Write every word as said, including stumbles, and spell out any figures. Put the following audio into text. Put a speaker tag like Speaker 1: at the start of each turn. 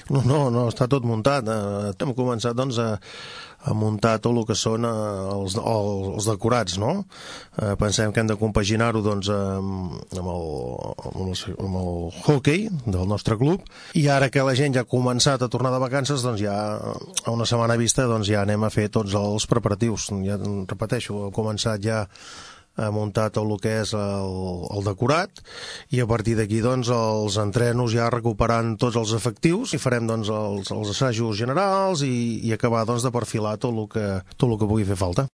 Speaker 1: No, no, no, està tot muntat. Eh, hem començat, doncs, a, a muntar tot el que són eh, els, els, els decorats, no? Eh, pensem que hem de compaginar-ho, doncs, amb, amb, el, amb, el, amb el hockey del nostre club, i ara que la gent ja ha començat a tornar de vacances, doncs ja a una setmana vista doncs ja anem a fer tots els preparatius. Ja repeteixo, hem començat ja ha muntat tot el que és el, el decorat, i a partir d'aquí doncs els entrenos ja recuperant tots els efectius, i farem doncs els, els assajos generals i, i acabar doncs de perfilar tot el que, tot el que pugui fer falta.